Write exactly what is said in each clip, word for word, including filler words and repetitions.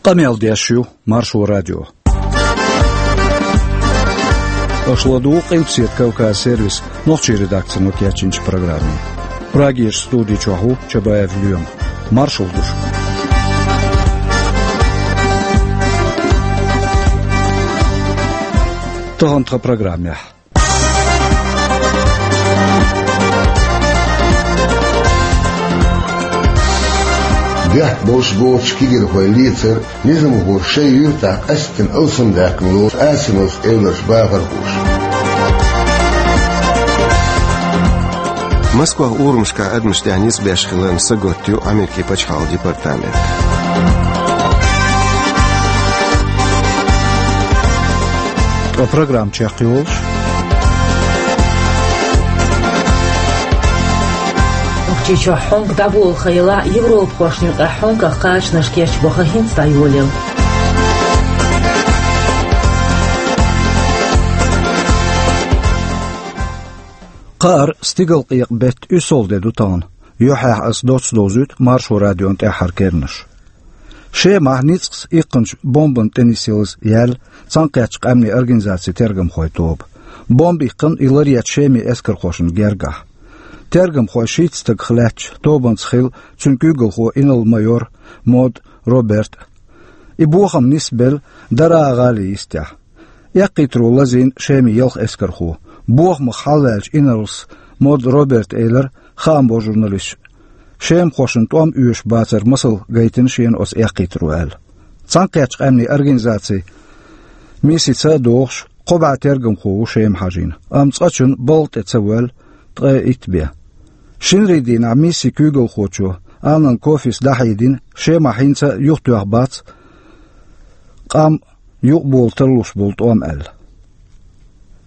Къамел деш ю Маршо радио. Аша ладугӀу Къилбаседа Кавказ сервисан нохчийн редакцино кечйинчу программе. Прагерчу студи чохь ву Чабаев Лоьма. Маршалла ду шуьга. Тахана тхан программехь. Бехк болуш боцучу кегийрхойн лецар низамхоша шайн юьртахь къаьсттина алсамдаьккхина лоцу Асиновс эвларш бахархоша. Москвахь урамашкахь адамаш тӀехь ницкъ беш хиларна сагатта ю Америкин пачхьалкхан департамент. Ткъа программа чекхйолуш. Нохчийчохь хьонка дӀаболу хан елахь а, европахошна юкъахь хьонках кхачанаш кечбо хан хӀинца дӀайолаелла. Кхаара, стигалкъекъа беттан уьссалгӀа де ду тахана. Юьххьехь аса доцца довзуьйту Маршо радион тӀаьххьара керланаш. Шемахь ницкъаца иккхинчу бомбанна тӀе нисъялаза яьлла Цхьаьнакхеттачу Къаьмнийн Организацин тергамхойн тоба. Бомба иккхина и ларъечу Шеман эскархошна гергахь. Тергамхой шийтта стагах лаьттачу тобанца хилла цуьнан куьйгалхо инарла-майор Мод Роберт а. И бохам нисбелла Дараа гӀалин йистехь. Эккхийтаро лазийна Шеман ялх эскархо. Бохамах хьалаваьллачу инарлас Мод Роберта элира хаамбо журналисташна, шемахошна тӀом оьшуш бацар масал гайтина шена оцу эккхийтаро аьлла. Цхьаьнакхеттачу Къаьмнийн Организацин миссица а догӀуш, кхо бӀе тергамхо ву Шема хьажийна, амма цкъачунна балха тӀе ца воьлла ткъе итт бен. Шинарин дийнахь миссин куьйгалхочо Аннан Кофис дӀахьедина, Шемахь хӀинца а юхатоьхна бац къам юкъабола тарлуш болу тӀом аьлла.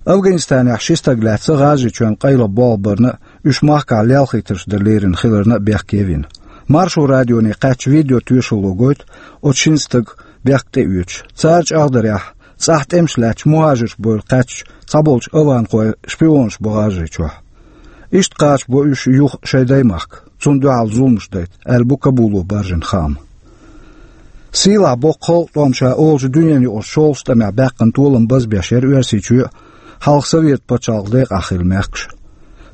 Афганистанехь ши стаг лаьцна ГӀажарийчоьнна къайлаха болх барна а, уьш махкахь лелхийтарш дан лерина хиларна а бехке вина. Маршо радионе кхаьчначу видеотоьшалло гойту оцу шина стага бехк тӀеоьцуш. Цара чӀагӀдарехь, цӀахь тӀемаш лаьцначу мухӀажарш бевлла кхаьчначу цхьаболчу афганхойн шпионаш бу ГӀажарийчохь. Иштта кхачабо уьш юха шайн даймахка, цунна дуьхьал зуламаш дайта, аьлла бу Кабуло баржийна хаам. Сийлахь боккха халкъан тӀом ша олучу дуьненаюкъарчу шолгӀачу тӀамехь баьккхина толам базбеш яра Оьрсийчоь а, хьалха Совет пачхьалкхан декъахь хилла мехкаш а.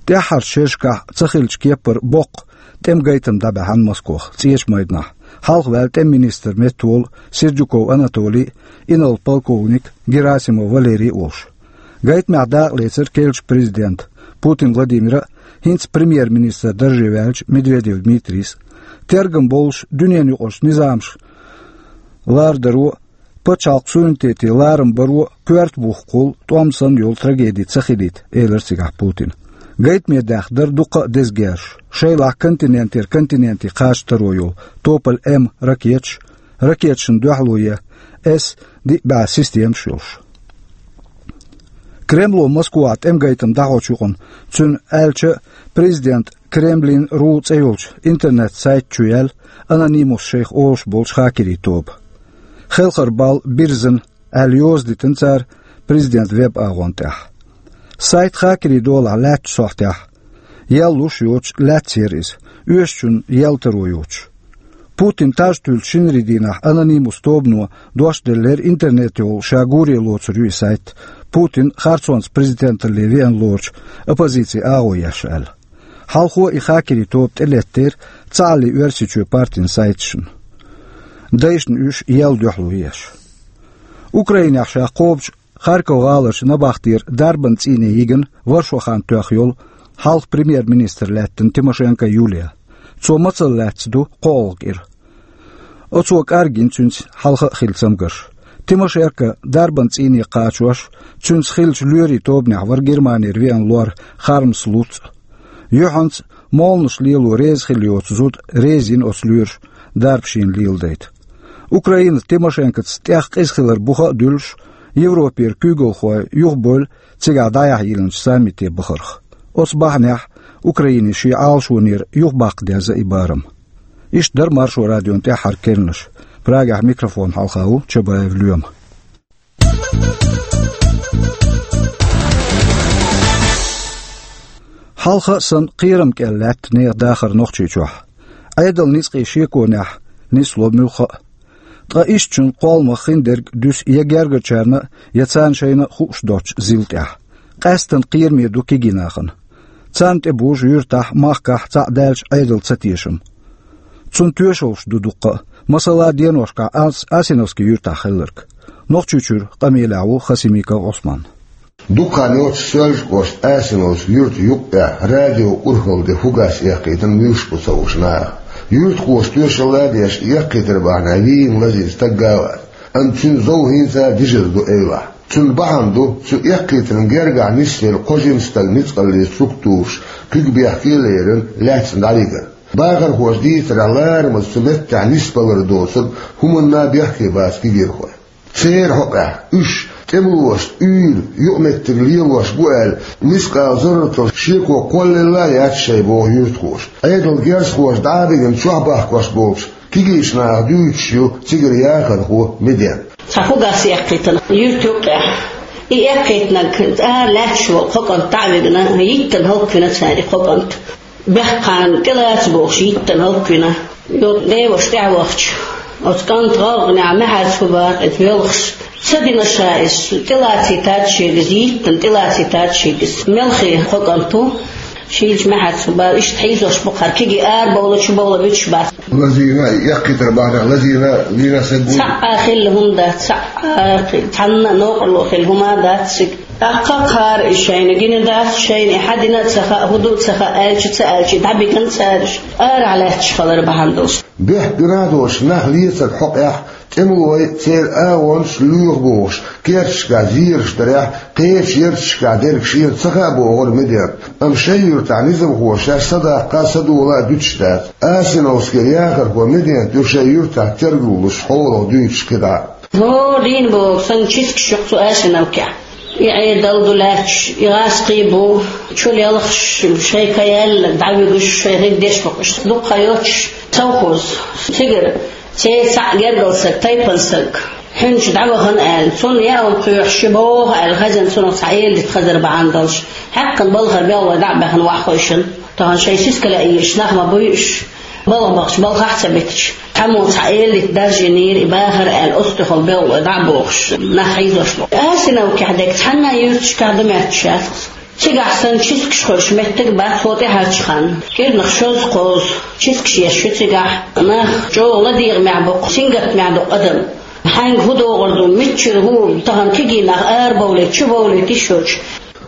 ТӀаьххьарчу шерашкахь ца хиллачу кеппара боккха тӀеман гайтам дӀабаьхьна Москвахь, ЦӀечу майданахь, хьалха ваьлла тӀеман министран меттаволу Сердюков Анатолий а, инарла полковник Герасимов Валерий а волуш. Гайтамехь дакъалецира керлачу президента Путин Владимира а, хӀинца премьер-министран дарже ваьллачу Медведев Дмитрийс а. Тергам болуш дуьненаюкъарчу низамаша лардаро а, пачхьалкхан суверенитете ларам баро а коьрта бухкуш хуьлу, тӀом санна йолу трагеди ца хилийта, элира цигахь Путина. Гайтаме даьхна дара дуккха а деза герзаш, шайлахь континентера континенте кхача таро йолу Тополь-М ракеташ, ракеташна дуьхьало е С диъ бӀе системаш йолуш. Кремло Москвахь тӀеман гайтам дӀахьочу юкъана, цуьнан аьлча, президент Кремлин ру цӀе йолчу интернет-сайта чу яьлла Анонимус шайх олуш болчу хакерийн тоба. Хелхар-балла бирзина аьлла йоза дитина цара президентан веб-агӀонна тӀехь. Сайт хакерийн долахь лаьттачу сохьтехь, ял луш йоцуш, лаьцна яра иза, оьшучунна ял таро йоцуш. Путин таж туьллучу шинарин дийнахь Анонимус тобано дош деллера интернетехула ша гуре лоцур ю и сайт, Путин харцонца президенталле веана лоручу оппозицин агӀо еш аьлла. Хьалхо и хакерийн тоба тӀелеттера Цхьааллин Оьрсийчоь партин сайташна. Дайшна уьш ял дуьхьало еш. Украинехь ша кхобучу Харьков гӀаларчу набахтера дарбан цӀийне йигна варшо хан тоьхна йолу хьалха премьер-министр лаьттина Тимошенко Юлия. Цо мацалла лаьцна ду кхо олгӀа кӀира. Оцо кӀаргйина цуьнца хьалха а хилла цамгарш. Тимошенко дарбан цӀийне кхачош, цуьнца хиллачу лоьрийн тобанехь вара Германера веана лор Хармс Луц а. Юьхьанца молханаш лело реза хилла йоцу зуда реза йина оцу лоьраша дарба шена леладайта. Украина Тимошенкоца тӀех къиза хилар буха а дуьллуш, Европера куьйгалхой юхабевлла цигахь дӀаяхьа йиллинчу саммите бахарх. Оцу бахьанехь Украине шен Ӏалашонера юхабаккха деза и барам. Иштта дара Маршо радион тӀаьххьара керланаш. Прагехь микрофон хьалха ву Чабаев Лоьма. Хьалха а санна, кхерам кӀел лаьтта нехан дахар Нохчийчохь. Ӏедалан ницкъийн шеконехь нисло муьлхха а. Ткъа иштта шун кхолламах хиндерг дуьсу я гергарчарна, я царна шайна хууш доцчу зил тӀехь. Къаьстина кхераме ду кегий нахана. Царна тӀе бужу юьртахь, махкахь цхьаъ даьлча Ӏедал ца тешам. Цунна тоьшаллаш ду дуккха а, масала, деношкахь Ас-, Асиновский юьртахь хилларг. Нохчийчуьра къамелехь ву Хасимиков Ӏусман. Дукха хан йоццуш Соьлжа-кӀоштан Асиновский юьртан юккъехь радио урхалла де фугас эккхийтина муьлш бу ца хууш наха. Юьртахоша тоьшалла а деш, эккхийтар бахьанехь вийна лазийна стаг а вац. Амма цуьнан зов хӀинца а дижар ду эвлахь. Цуьнан бахьана ду, цу эккхийтарна гергахь нисвелла кхо жима стаг ницкъаллин структураш куьг бехке а лерина, лаьцна дӀавигар. Бахархоша дийцарехь, ларамаза цу меттехь нисбалар доцург хӀуманна а бехке бац кегийрхой. Церан хьокъехь, уьш тӀемалошца уьйр юкъаметтиг лелош бу аьлла, мискъала зарратал шеко кхоллалла а яц шайн, боху юьртахоша. Ӏедалан герзахоша дӀа а бигина чохь бахкош болчу кегийчу наха дуьйцуш ю цигара яхархо Меден. Цхьа фугас эккхийтина юьртан юккъехь. И эккхийтинарг ара лаьтташ волу кхо кӀант дӀа а вигина, йиттина хӀаллаквина цара и кхо кӀант. Бехкана тӀелаца бохуш йиттина хӀаллаквина. Йо, деваша тӀаьхьавахча, оцу кӀанта гӀалгӀанехь Мехьарца хӀу бара иза воьлхуш. Ца дина ша иза, тӀелацийтац шега иза, йиттина тӀелацийтац шега иза. Мелхий кхо кӀант ву, шийлачу Мехьарца хӀу бара, иштта хьийзош бу хӀара, кегий арабовла, чубовла буьтуш бац. Лазийна, эккхийтар бахьанехь лазийна, лийна стаг вуй? Цхьа а хилла хӀума дац, цхьа а, цхьанна а новкъарло хилла хӀума а дац цига. ТӀаккха кхара и шайна гина дац, шайна и хьан дина а ца хаьа, хӀун ду а ца хаьа, аьлча а ца аьлча, дӀабигна цара уьш, арахь лаьтташ хилар бахьана долуш. Бехк гина а доцуш, нах лецаран хьокъехь, тӀемалой, церан агӀонаш лоьху бохуш, керташкахь зераш дарехь, кхечу ярташкахь дерг шена ца хаьа бохура Медена. Амма шайн юьртахь низамхоша шаьш садаккха а, садола а дуьтуш дац. Асиновскера яхархо Медена ю шайн юьртахь тергал луш хьолах дуьйцуш кхидӀа. ХӀора дийна боху санна чискаш ю-кх цу Асиновкехь. И Ӏедал ду лаьтташ, и гӀазкхий бу, чу лелхаш, шайн каяьлла дӀавуьгуш, шайн хӀинца деш бу-кх уьш. Дуккха хан йоццуш совхоз. Цигара церан цхьаъ гергара стаг, тайпана стаг, хьуьнчу дӀавахана аьлла, цунна ял кхоьхьуш, ши боху аьлла, хазина цунах цхьа эладита хазар бахьана долуш, хьаькхна балхара белхалой дӀа а баьхна, ваха хойшина. Тахана шайн сиска лаьа йийраш нах ма буй уьш. БалгӀа бахча балхахь а ца битича, цхьаммо цхьа эладита даржийнийра и бахар аьлла, оцу тӀехула белхалой дӀа а бохуш, нах хьийзош бу. Асиновкехь дерг цхьанна а юьрташкахь ду моьттуш яц-кх. Цигахь санна чискаш хуьлуш меттиг а бац хӀокху тӀаьхьарчу ханна. КӀирнах шозза-кхозза чискаш еш ю цигахь, нах чӀогӀа ладегӀамехь бу-кх, сингаттамехь ду-кх адам. Хьаьнга хӀун догӀур ду, миччара хӀун, тахана кегий нах арабовлийта, чубовлийта йиш йоцуш.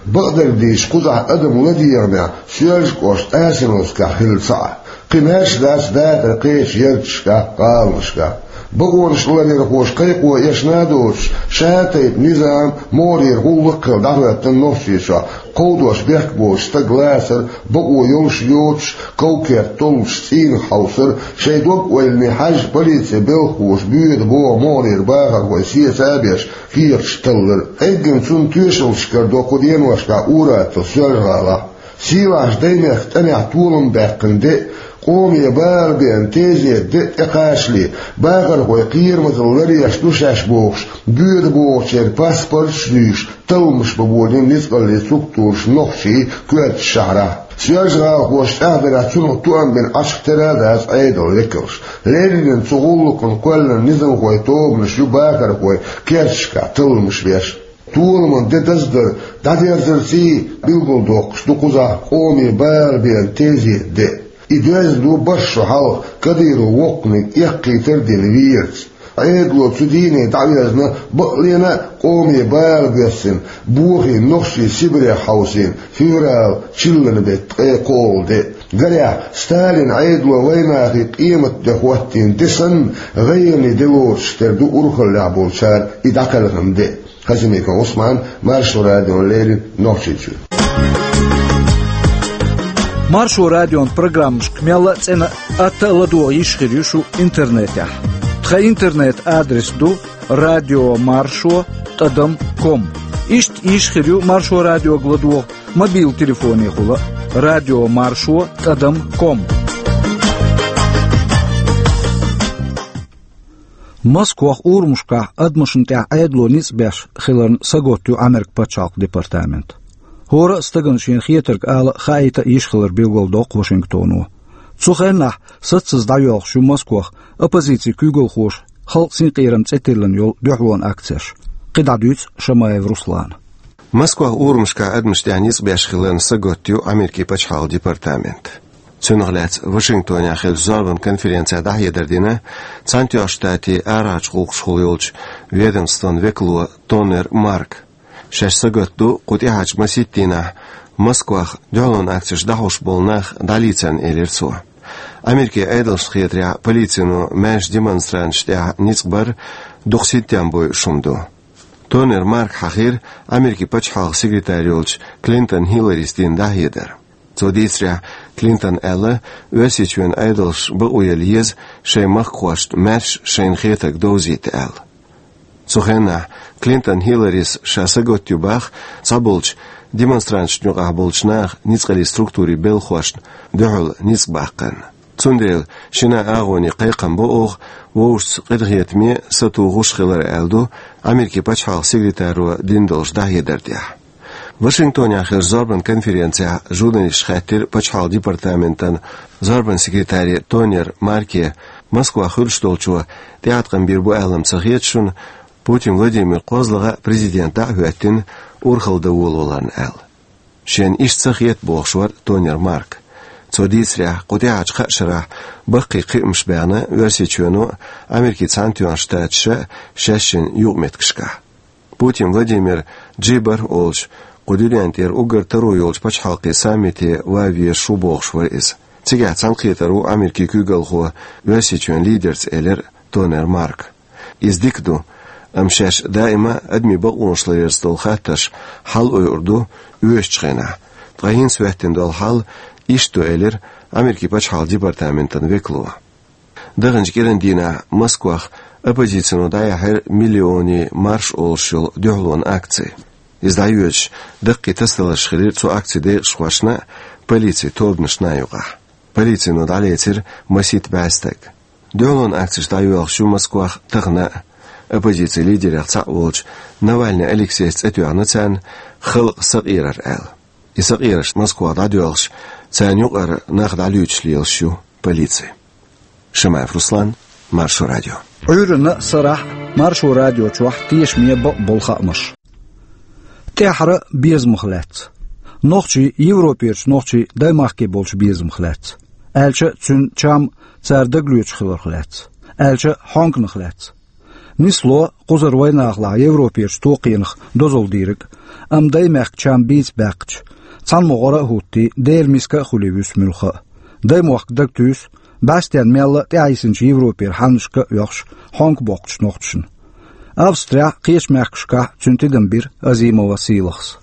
Бакъдерг дийцича, кхузахь адам ладегӀамехь Соьлжа-кӀоштан Асиновскехь хилла ца Ӏа. Кхин маьрша дац дакъа кхечу ярташкахь, гӀаланашкахь. Бакъонаш ларъярхоша кхайкхо эшна а доцуш, ша-тайпа низам, могӀарера гӀуллакх а хилла дӀахӀоьттина Нохчийчохь, кховдош бехк боцуш стаг лацар, бакъо йолуш а йоцуш, ков-керт толлуш цӀийнах хьовсар, шайн дог-ойлане хьаьжжа полицин белхахоша боьда боху могӀарера бахархой сеца а беш, кехаташ таллар. Эггина цунна тоьшаллаш карадо кху деношкахь ур-атталла Соьлжа-ГӀалахь. Сийлахьчу Даймехкан тӀамехь толам баьккхина де а, къоме бала беана тезета де а тӀекхачале, бахархой кхерамазалла ларъеш ду шаьш бохуш, боьда бохучеран паспорташ а дуьйш, талламаш бан болийна ницкъаллин структураш нохчийн коьртачу шахьарахь. Соьлжа-ГӀалахоша тӀаьхьадарехь цунах тоам бина Ӏачух тера а дац Ӏедалан векалш. Леррина цу гӀуллакхна кхоьллина низамхойн тобанаш ю бахархой керташкахь талламаш беш. Толаман де даздар дӀадерзарций билгалдоккхуш ду кхузахь къоме бала беана тезета де. И доьзна ду бархӀ шо хьалха Кадыровн воккханиг эккхийтар а дина верца. Ӏедало цу дийне дӀавезна бакълена а къоме бала боьссина, бохийна нохчий Сибрех хьовсийна февралан чиллан беттан ткъе кхоалгӀа де. Гарехь, Сталина Ӏедало вайнахе къематде хӀоттийна де санна, гӀайгӀане де лоцуш тера ду урхаллехь болчара и дӀакхелхина де. Хасимиков Ӏусман, Маршо радиона леррина, Нохчийчуьра. Маршо радион программашка мелла а цӀена а, атта а ладогӀа йиш хир ю шу интернетехь. Тхан интернет-адрес ду радио маршо тӀадам ком. Иштта йиш хир ю Маршо радиога ладогӀа мобил телефонехула: радио маршо тӀадам ком. Москвахь урамашкахь адамашна тӀехь Ӏедало ницкъ беш хиларна сагатта ю Ӏамеркан пачхьалкхан департамент. ХӀора а стагана шена хетарг ала а, хаийта а йиш хилар билгалдоккху Вашингтоно. Цу хеннахь саццаза дӀайоьлхуш ю Москвахь оппозицин куьйгалхоша «Халкъ синкъерам» цӀе тиллина йолу дуьхьалонан акцеш. КхидӀа дуьйцу Шамаев Руслана. Москвахь урамашкахь адамашна тӀехь ницкъ беш хиларна сагатдо Америкин пачхьалкхан департамент. Цунах лаьцна Вашингтонехь хиллачу зорбанан конференцехь дӀахьедар дина Цхьаьнатоьхначу Штатийн арахьарчу гӀуллакхашкахула йолчу ведомстван векало Тонер Марк. Шаьш сагатдо кху тӀаьхьарчу масийтта дийнахь Москвахь дуьхьалонан акцеш дӀахьош болу нах дӀалийцарна, элира цо. Америкин Ӏедалшна хетарехь, полицино маьршачу демонстранташна тӀехь ницкъ бар дукха синтем бойуш хӀума ду. Тонер Марка хьахийра Америкин пачхьалкхан секретарь йолчу Клинтон Хилларис дина дӀахьедар. Цо дийцарехь, Клинтона аьлла, Оьрсийчоьнан Ӏедалша бакъо яла еза шайн махкахошна маьрша шайна хетарг довзийта аьлла. Цу хенахь Клинтон Хилларис ша сагатдо боху цхьаболчу демонстранташна юкъахь болчу наха ницкъаллин структурийн белхахошна дуьхьал ницкъ баккхарна. Цундела шина агӀоне кхайкхам бо оха вовшашца къинхетаме сатухуш хилар, аьлла ду Америкин пачхьалкхан секретаро дина долчу дӀахьедар тӀехь. Вашингтонехь хиллачу зорбанан конференцехь журналисташа хаьттира пачхьалкхан департаментан зорбанан секретаре Тонер Марке, Москвахь хуьлуш долчо тӀеӀаткъам бийр бу аьлла ма ца хета шуна, Путин Владимир кхозлагӀа президент дӀа а хӀоьттина, урхалла дан волаваларна аьлла. Шена иштта ца хета, бохуш вара Тонер Марк. Цо дийцарехь, кху тӀаьхьарчу кхаа шарахь баккхий кхиамаш баьхна Оьрсийчоьно а, Америкин Цхьаьнатоьхначу Штаташа а шаьш шина юкъаметтигашкахь. Путин Владимир джи бархӀ олуш, кху дуьнен тӀера уггар таро йолчу пачхьалкхийн саммите ван везаш ву бохуш вара иза. Цигахь цхьаьнакхетар ву Америкин куьйгалхо Оьрсийчоьнан лидерца, элира Тонер Марка. Иза дика ду, амма шаьш даима адамийн бакъонаш ларъярца долу хаттарш хьалаойур ду оьшучу хенахь. Ткъа хӀинца хӀоьттина долу хьал иштта ду, элира Америкин пачхьалкхан департаментан векало. Даханчу кӀиран дийнахь Москвахь оппозицино дӀаяьхьира «Миллионийн марш» олуш йолу дуьхьалонан акци. Иза дӀайоьдуш даккхий тасадаларш хилира цу акцин декъашхошна а, полицин тобанашна а юкъахь. Полицино дӀалецира масийтта бӀе стаг. Дуьхьалонан акцеш дӀайоьлхуш ю Москвахь тахана а. Оппозицин лидерех цхьаъ волчу Навальный Алексейс цӀе тоьхна царна «Халкъан сакъерар» аьлла. И сакъераш Москвахь дӀадоьлхуш, царна юкъара нах дӀалуьйчуш лелаш ю полици. Шамаев Руслан, Маршо радио. Ӏуьйранна а, сарахь а Маршо радио чохь тешаме бакъ болу хаамаш. ТӀаьххьара безамах лаьцна. Нохчий Европерчу нохчийн даймахке болчу безамах лаьцна. Аьлча, цуьнан чам цара дагалоьцуш хиларх лаьцна. Аьлча, хьонгнах лаьцна. Нисло кхузара вайнахалахь Европерчу токхенах дозалла дийриг, амма даймехкан чам бийца баьккхича, цхьана могӀара а хӀуттий, Делан миска а хуьлий вуьсу муьлхха а. Даймохк дагатуьйсу, бӀаьстенан мелла а тӀаьхьайисинчу Европера хьаннашка а оьхуш, хьонка боккхучу нохчашна. Австрехь а, кхечу мехкашкахь а цуьнан тидам бира Азимова Сийлахьас.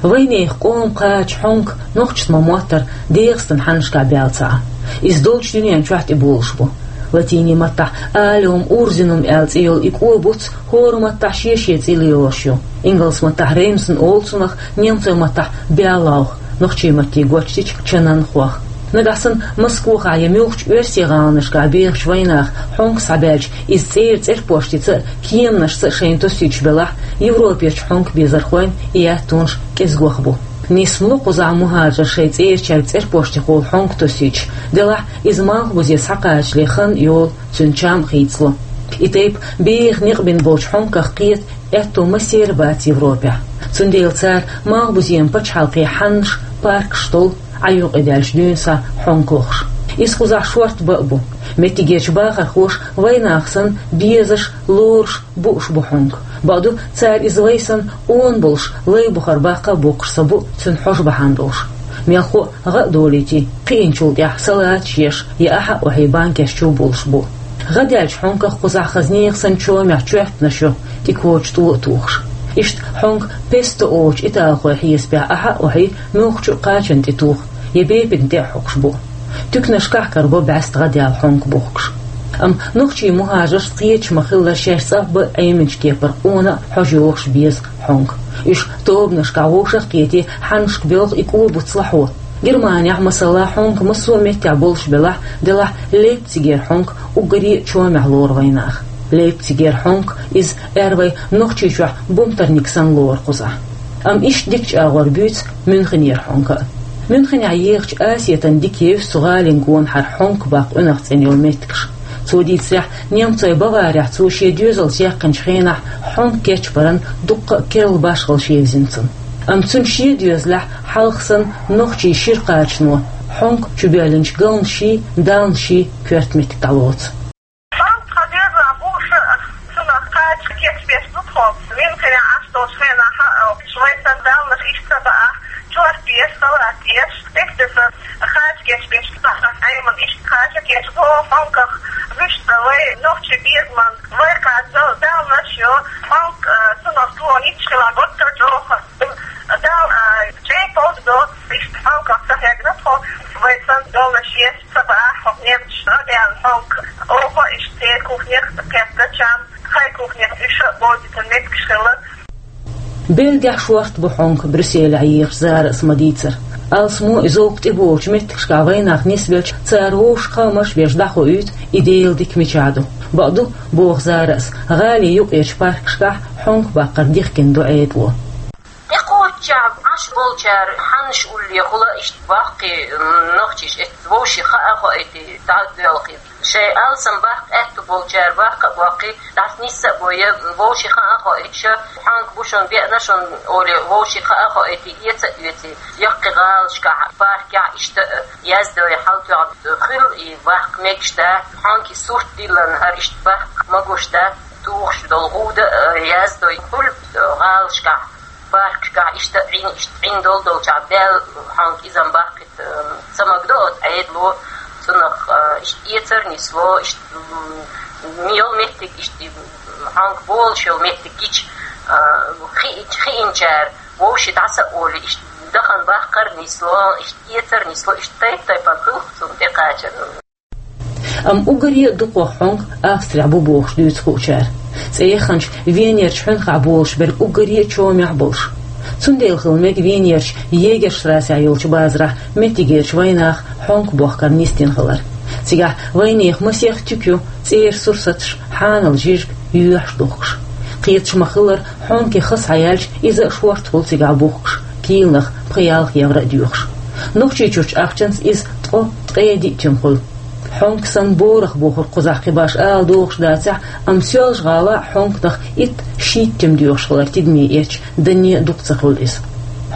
Вайнехан къоман кхача хьонка нохчашна ма-моттара ДегӀастан хьаннашкахь баьлла ца Ӏа. Иза долчу дуьнен чохь тӀеболуш бу. Латинийн маттахь «Алиум урзинум» аьлла цӀе йолу и кӀо буц хӀора маттахь шен-шен цӀе лелош ю. Ингалс маттахь «Реймсен» олу цунах, немцойн маттахь «Берлаух», нохчийн матте гочдича «чанан хох». Нагахь санна Москвахь я муьлххачу оьрсийн гӀаланашкахь бехачу вайнаха хьонка схьабаьлча, иза цӀера цӀерпоштица а, кеманашца а шайна тосуьйтуш белахь, Европерчу хьонка безархойн и аьттонаш кӀезгох бу. Нисма ло кхузахь мухӀажарш шайн цӀерачаьрга цӀерпоштихула хьонка тосуьйтуш, делахь иза малхбузе схьакхачале хан а йолу, цуьнан чам а хийцало. И тайпа беха некъ бина болчу хьонках кхета аьтто массеран бац Европехь. Цундела цара малхбузен пачхьалкхийн хьаннаш, паркаш толу, Ӏа юкъадаьлча дуьйна схьа хьонка лохуш. Иза кхузахь шорта бан а бу. Меттигерчу бахархоша вайнаха санна безаш, лоруш, бууш бу хьонка. Бакъду, цара иза вай санна къона болуш, лай бухара баккха а боккхуш ца бу, цуьнан хьожа бахьана долуш. Мелхо а гӀа а долуьйтий, кхиъначул тӀаьхьа салаташ еш я ахьа а охьий банкеш чу болуш бу. ГӀа даьллачу хьонках кхузахь хаза нехан санна чомехь чоьппанаш ю, тӀе коча тӀо а тухуш. Иштта хьонка песто олучу италхойн хьесапехь ахьа а охьий муьлххачу а кхачанна тӀе туху, я бепигна тӀе а хьокхуш бу. Туьканашкахь карабо бӀаьста гӀа даьлла хьонка бухкуш. Амма нохчийн мухӀажаршна кхеташ ма-хиллара шаьш цӀа а бан а Ӏеминчу кепара къона а хьожа йохуш беза хьонка. Уьш тобанашкахь вовшах а кхетий, хьаннашка боьлху и кӀо буц лахьо. Германехь, масала, хьонка массо а меттехь болуш белахь, делахь Лейпцигера хьонка уггаре а чомехь лору вайнаха. Лейпцигера хьонка иза аьрра вай Нохчийчохь бумтарник санна лору кхузахь. Амма иштта дика чӀагӀор буьйцу Мюнхенера хьонка а. Мюнхенехь ехачу Асетана дика евза цу гӀалин гонахьара хьонка баккха къуьнах цӀена йолу меттигаш. Цо дийцарехь, немцойн Баварехь цо шен доьзалца яьккхинчу хенахь хьонка кечбаран дуккха а керла башхалла шевзина цунна. Амма цуьнан шен доьзалехь хьалха санна нохчийн шира кхачано хьонка чубоьллинчу галнашший, далнашший коьрта меттиг дӀалоцу. Хьонка тхан доьзалехь бу ша, цунах кхача кечбеш ду тхо. Мюнхенехь Ӏаш долчу хенахь а, вай санна далнаш иштта ца баахь, чорта дезаш, салат езаш, тесна кхача кечбеш ду, Ӏемина иштта кхача кечбо хьонках, вуьшта вай нохчийн безаман, вай кхача далнаш йо, хьонка, а, цунах тхо йиташ хилахь, гуттар а чӀогӀа. Дала, а, чӀей кхочу до, иштта хьонках ца хьегна тхо, вай санна далнаш еш ца баахь, хьо немцаш а даьлла хьонка. Оха иштта церан кухнех кхетта чам, хай кухнех уьш а бовзийтина меттигаш хилла. Бельгехь шорта бу хьонка Брюсселехь ехаш Зарас ма-дийцара. Алсамо и зовкх тӀеболучу меттигашкахь вайнах нисбелча, цара вовшах хаамаш беш дӀахоуьйту и Делан дика мичахь ду. Бакъду, боху Зарас, гӀалин юккъерчу паркашкахь хьонка баккхар дихкина ду Ӏедало. ТӀекхоччехь Ӏаш болчара хьаннаш уллехь хуьлу иштта баккхий, м, нохчийша эцна вовшийн хаа а хоуьйтий, дӀа а доьлхий. Шайн алсам баккха аьтту болчара баккха а боккхий, дӀаса нисса а бой, вовшийн хаа а хоуьйтуш, хьонка бу шуна, беана шуна олий, вовшийн хаа а хоуьйтий, эца а оьций, яккхий гӀалашкахь, паркехь иштта а яздой хьал тоьхна хуьлу и баккха мегаш дац, хьонкий сурт диллина хӀара иштта баккха магош дац, тухуш долу гӀуда а яздой хуьлу гӀалашкахь. Паркашкахь иштта а Ӏин, иштта Ӏин долу долчохь баьлла хьонка иза-м баккхийта, ца магадо оцу Ӏедало, цунах, а, иштта эцар нисло, иштта, м, йолу меттиг, иштта, м, хьонка болуш йолу меттиг гича, а, хиъ-, хиъначара вовшийн дӀаса а олий, иштта дахана баккхар нисло, иштта эцар нисло, иштта тайп-тайпана хуьлу цунна тӀекхачар. Амма уггаре а дукхох хьонка Австрехь бу бохуш дуьйцу кхуьучара. ЦӀе яханчу Венерчу хьуьнхахь болуш берг уггаре а чомехь болуш. Цундела хила мега Венерчу Егерштрасехь йолчу базарахь меттигерчу вайнаха хьонка бохкар нисдина хилар. Цигахь вайнехан масех туька ю, цӀера сурсаташ, хьанал жижиг, йоьхьаш духкуш. Кхеташ ма-хиллара, хьонкин ха схьаяьлча, иза а шорта хуьлу цигахь бухкуш, киланах пхи-ялх евро а доьхуш. Нохчийчуьрчу ахчанца иза ткъо, ткъе диъ туьма хуьлу. Хьонка санна борах бохург кхузахь кхин башха ала догӀуш дацахь, амма Соьлжа-ГӀалахь хьонках итт-шийтта туьма доьхуш хилар тидаме эцча, данне а дукха ца хуьлу иза.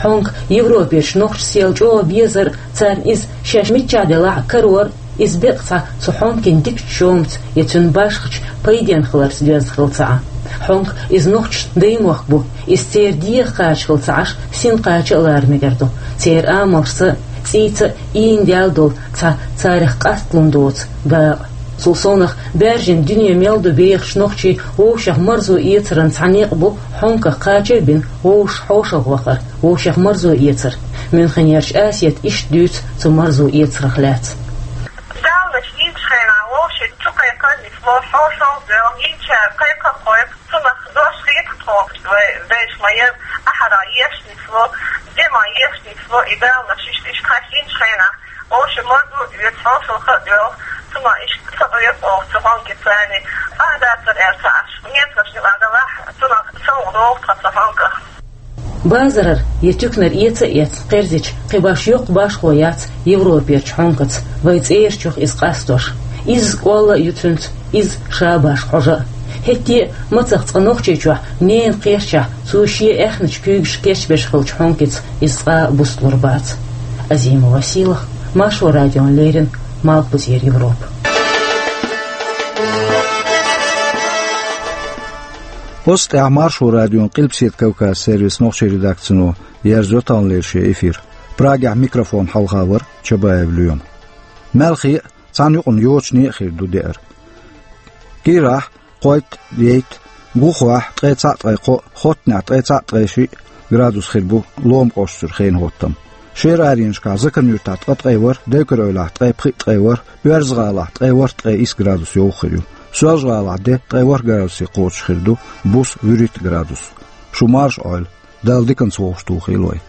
Хьонка Европерчу нохчашца яла чӀогӀа безар а, царна иза шаьш миччахь делахь а карор а, иза беккъа цхьа цу хьонкин дикачу чомаца я цуьнан башхачу пайденна хиларца доьзна хилла ца Ӏа. Хьонка иза нохчашна даймохк бу, иза церан дегӀах кхача хилла ца Ӏаш, син кхача а лара мегар ду. Церан амалшца а, цӀийца а ийна даьлла долу цхьа царах къасталун доцу дакъа. Цул совнах, баьржина дуьне мел ду бехачу нохчийн вовшех марзо эцаран цхьа некъ бу хьонках кхача а бина, вовшашна хьошалгӀа вахар, вовшех марзо эцар. Мюнхенерчу Асета иштта дуьйцу цу марзо эцарах лаьцна. Далнаш йинчу хенахь вовшийн чу кхайкхар нисло, хьошалгӀа а доьлху, йинчара кхайкха а кхойкху, цунах дош хетахь тхо, вай вешан ма яра, ахьара еш нисло, де ма еш нисло, и далнаш иштта, иштта хьаьшна йинчу хенахь, вовшийн марзо а оьцу, хьошалгӀа а доьлху, цунах иштта ца гӀоьрту оха цу хьонкаца, царна а дацара аьлла ца Ӏаш, немцошна юкъахь далахь, цунах совгӀа догӀу тхан цу хьонках. Базарара я туьканара эца а эцна кхерзича, кхин башха йоккха башхо яц Европерчу хьонкаца, вайн цӀерачух иза къастош. Изза кӀолла а ю цуьнца, изза ша башха хьожа а. ХӀетте а мацах цкъа Нохчийчохь, ненан кхерчахь, цо шен аьхначу куьйгашка кечбеш хиллачу хьонкица иза цкъа а бусталур бац. Азима Василах, Маршо радиона леррина, Малхбузера Европа. Оцу тӀехь Маршо радион Къилбаседа Кавказан сервисан нохчийн редакцино ерзайо таханлера шен эфир. Прагехь микрофон хьалха вара Чабаев Лоьма. Маьлхе а, цхьана юкъана йочане а хир ду деара. Кийрахь кхойтта, ейтта, гӀухахь ткъе цхьаъ, ткъе кхоъ, хоттанехь ткъе цхьаъ, ткъе шиъ градус хир бу Лома кӀоштара хенан хӀоттам. Шера аренашкахь Закаран-Юьртахь ткъе ткъе ворхӀ, Девкар-Эвлахь ткъе пхиъ, ткъе ворхӀ, Оьрза-ГӀалахь ткъе ворхӀ, ткъе исс градус йовха хир ю. Соьлжа-ГӀалахь де ткъе ворхӀ градусе кхочуш хир ду, буса вуьрхӀитта градус. Шу марша Ӏойла, Дала диканца вовшахтухийла вай.